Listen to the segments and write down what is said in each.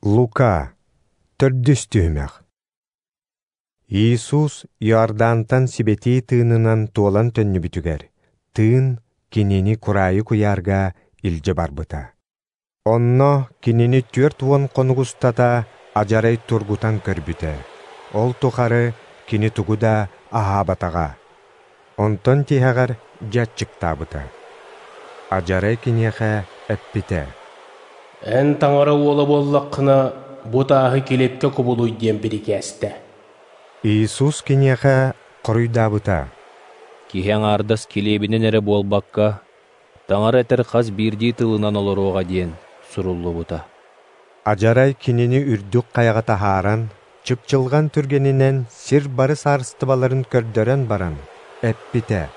Лука, төрдүс түһүмэх. Иисус Иордантан сибэтии тыынынан туолан төннүбүтүгэр, тыын кинини кураайы куйаарга илдьэ барбыта. Онно кинини 40 хонук устата адьарай тургутан көрбүтэ. Ол тухары кини тугу да аһаабатаҕа. Онтон тиһэҕэр дьэ аччыктаабыта. Адьарай киниэхэ эппитэ: «Эн Таҥара уола буоллаххына, бу тааһы килиэпкэ кубулуй диэн бирикээстэ». Иисус киниэхэ хоруйдаабыта: «Киһи аҥаардас килиэбинэн эрэ буолбакка, Таҥара этэр хас биирдии тылынан олоруоҕа диэн суруллубута». Адьарай кинини үрдүк хайаҕа таһааран, чыпчылҕан түргэнинэн сир бары саарыстыбаларын көрдөрөн баран, эппитэ: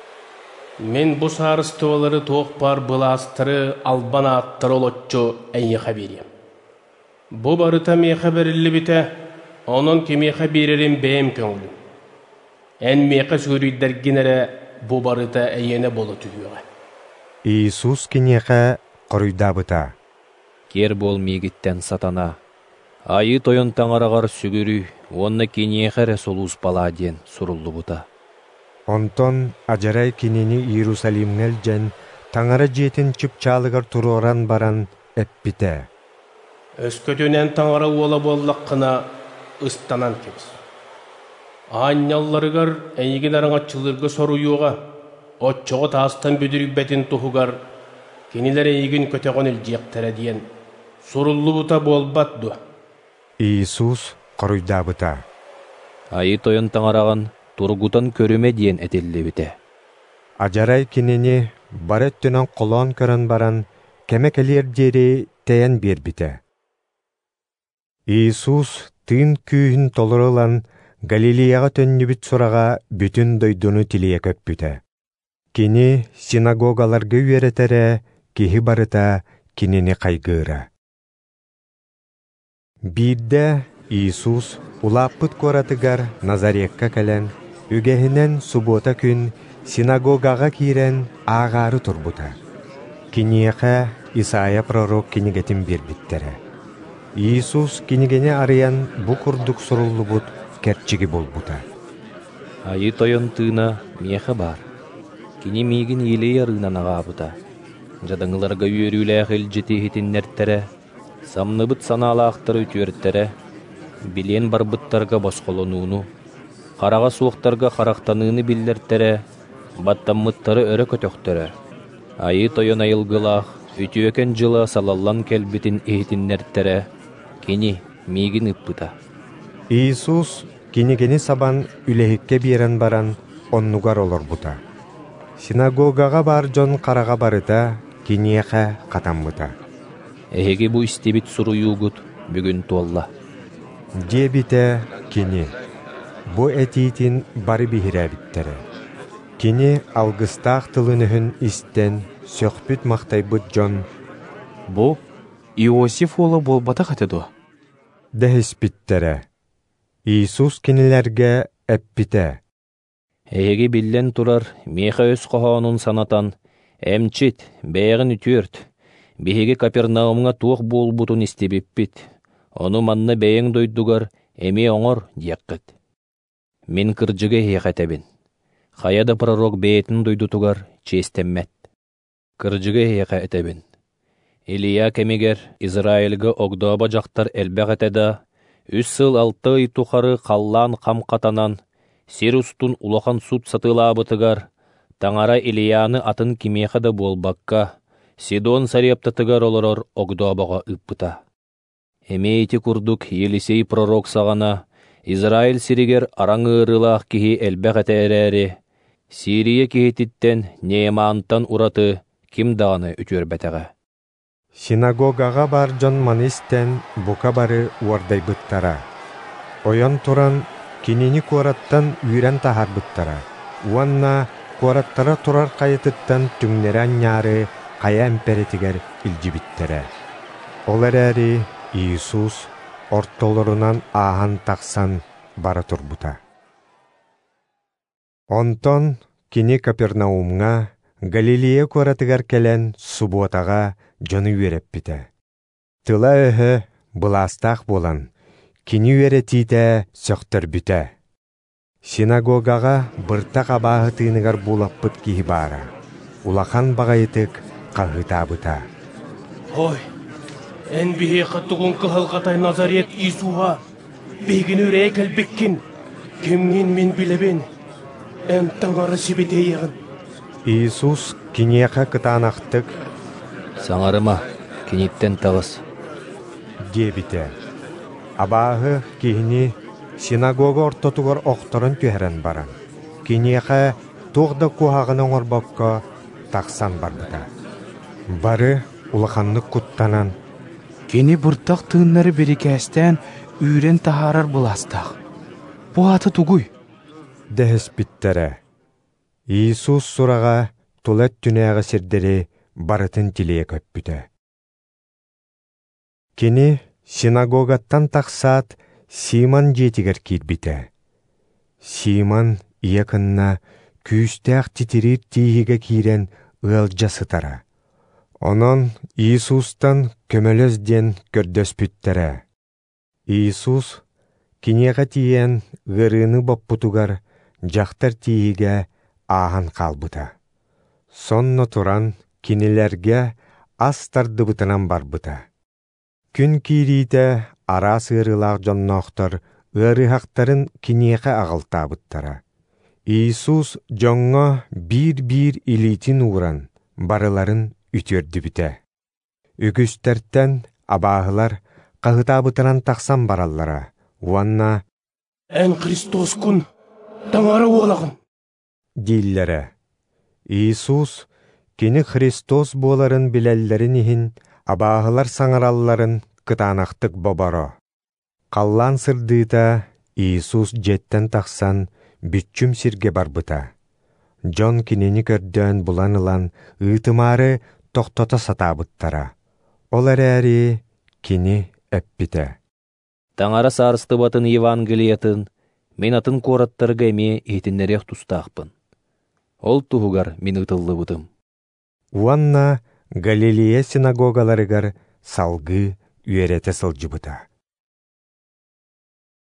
«Мин бу саарыстыбалары туох баар былаастары, албан ааттары олоччу эйиэхэ биэриэм. Бу барыта миэхэ бэриллибитэ, онон кимиэхэ биэрэрим бэйэм көҥүлүм. Эн миэхэ сүгүрүйдэргин эрэ бу барыта эйиэнэ буола түһүөҕэ». Иисус киниэхэ хоруйдаабыта: «Киэр буол миигиттэн, сатана! Айыы Тойон Таҥараҕар сүгүрүй уонна киниэхэ эрэ сулууспалаа диэн суруллубута». Онтон адьарай кинини Иерусалимҥа илдьэн, Таҥара дьиэтин чыпчаалыгар туруоран баран эппитэ: «Өскөтүн эн Таҥара уола буоллаххына, ыстанан кэбис. Аанньалларыгар эйигин араҥаччылыырга соруйуоҕа, оччоҕо таастан бүдүрүйбэтин туһугар кинилэр эйигин көтөҕөн илдьиэхтэрэ диэн суруллубута буолбат дуо?» Иисус хоруйдаабыта: «Айыы Тойон Таҥараҕын тургутан көрүмэ диэн этиллибитэ». Адьарай кинини бары өттүнэн холоон көрөн баран, кэмэ кэлиэр диэри тэйэн биэрбитэ. Иисус тыын күүһүн толору ылан, Галилеяҕа төннүбүт сураҕа бүтүн дойдуну тилийэ көппүтэ. Кини синагогаларга үөрэтэрэ, киһи барыта кинини хайгыыра. Биирдэ Иисус улааппыт куоратыгар Назарекка кэлэн, үгэһинэн субуота күн синагогаҕа киирэн ааҕаары турбута. Киниэхэ Исайя пророк кинигэтин биэрбиттэрэ. Иисус кинигэни арыйан бу курдук суруллубут кэрчиги булбута. «Айыы Тойон тыына миэхэ баар. Кини миигин Илия арыынан аҕаабыта. Дьадаҥыларга үөрүүлээх илдьити иһитиннэртэрэ, самныбыт санаалаахтары үтүөртэрэ, билиэн барбыттарга босхолонууну, хараҕа суохтарга харахтаныыны биллэртэрэ, баттаммыттары өрө көтөхтөрө. Айыы Тойон айылгылаах үтүөкэн дьыла салаллан кэлбитин иһитиннэртэрэ, кини миигин ыппыта». Иисус кинигини сабан үлэһиккэ биэрэн баран оннугар олорбута. Синагогаҕа баар дьон хараҕа барыта киниэхэ хатаммыта. «Эһиги бу истибит суруйуугут бүгүн туолла», диэбитэ кини. Бу этиитин бары биһирээбиттэрэ. Кини алгыстаах тылын-өһүн истэн, сөхпүт-махтайбыт дьон: «Бу Иосиф уола буолбатах этэ дуо?» дэһиспиттэрэ. Иисус кинилэргэ эппитэ: «Эһиги биллэн турар, миэхэ өс хоһоонун санатан, эмчит, бэйэҕин үтүөрт, биһиги Капернаумҥа туох буолбутун истибиппит, ону манна бэйэҥ дойдугар эмиэ оҥор диэххит. Мин кырдьыгы эһиэхэ этэбин, хайа да пророк бэйэтин дойдутугар чиэстэммэт. Кырдьыгы эһиэхэ этэбин, Илия кэмигэр Израильга огдообо дьахтар элбэх этэ да, 3 сыл 6 ый тухары халлаан хам хатанан, сир устун улахан сут сатыылаабытыгар, Таҥара Илияны атын кимиэхэ да буолбакка, Сидон Сарептатыгар олорор огдообоҕо ыыппыта. Эмиэ ити курдук Елисей пророк саҕана Израиль сиригэр араҥ ыарыылаах киһи элбэх этэ эрээри, Сирия киһититтэн Неемантан ураты ким даҕаны үтүөрбэтэҕэ». Синагогаҕа баар дьон маны истэн бука бары уордайбыттара. Ойон туран кинини куораттан үүрэн таһаарбыттара уонна куораттара турар хайатыттан түҥнэри анньаары хайа эмпэрэтигэр илдьибиттэрэ. Ол эрээри Иисус ортолорунан ааһан тахсан бара турбута. Онтон кини Капернаумҥа, Галилея куоратыгар кэлэн субуотаҕа дьону үөрэппитэ. Тыла-өһө былаастаах буолан, кини үөрэтиитэ сөхтөрбүтэ. Синагогаҕа быртах абааһы тыыныгар буулаппыт киһи баара, улахан баҕайытык хаһыытаабыта: «Ой, эн биһиэхэ тугуҥ кыһалҕатай Назарет Иисуһа? Биһигини үрэйэ кэлбиккин, кимҥин мин билэбин, эн Таҥара сибэтиэйэҕин». Иисус киниэхэ кытаанахтык: «Саҥарыма, киниттэн таҕыс» диэбитэ. Абааһы киһини синагога ортотугар охторон түһэрэн баран, киниэхэ туох да куһаҕаны оҥорбокко тахсан барбыта. Бары улаханнык куттанан, «Кини быртах тыыннары бирикээстээн үүрэн таһаарар былаастаах. Бу аата тугуй?» дэһиспиттэрэ. Иисус сураҕа тула өттүнээҕи сирдэри барытын тилийэ көппүтэ. Кини синагогаттан тахсаат, Симон дьиэтигэр киирбитэ. Симон ийэ кынна күүстээх титириир тииһигэ киирэн ыалдьа сытара. Онон Иисустан көмөлөс диэн көрдөспүттэрэ. Иисус киниэхэ тиийэн ыарыыны боппутугар дьахтар тииһигэ ааһан хаалбыта. Сонно туран кинилэргэ ас тардыбытынан барбыта. Күн киириитэ араас ыарыылаах дьонноохтор ыарыһахтарын киниэхэ аҕалтаабыттара. Иисус дьоҥҥо биир-биир илиитин ууран, барыларын үтүөрдүбүтэ. Үгүстэртэн абааһылар хаһытаабытынан тахсан бараллара уонна «Эн Христоскун, Таҥара уолаҕын» дииллэрэ. Иисус кини Христос буоларын билэллэрин иһин абааһылар саҥаралларын кытаанахтык боборо. Халлаан сырдыыта Иисус дьиэттэн тахсан бүччүм сиргэ барбыта. Дьон кинини көрдөөн булан ылан ыытымаары тохтото сатаабыттара. Ол эрээри кини эппитэ: «Таҥара саарыстыбатын Евангелиятын мин атын куораттарга эмиэ иһитиннэриэх тустаахпын. Ол туһугар мин ыытыллыбытым». Уонна Галилея синагогаларыгар салгыы үөрэтэ сылдьыбыта.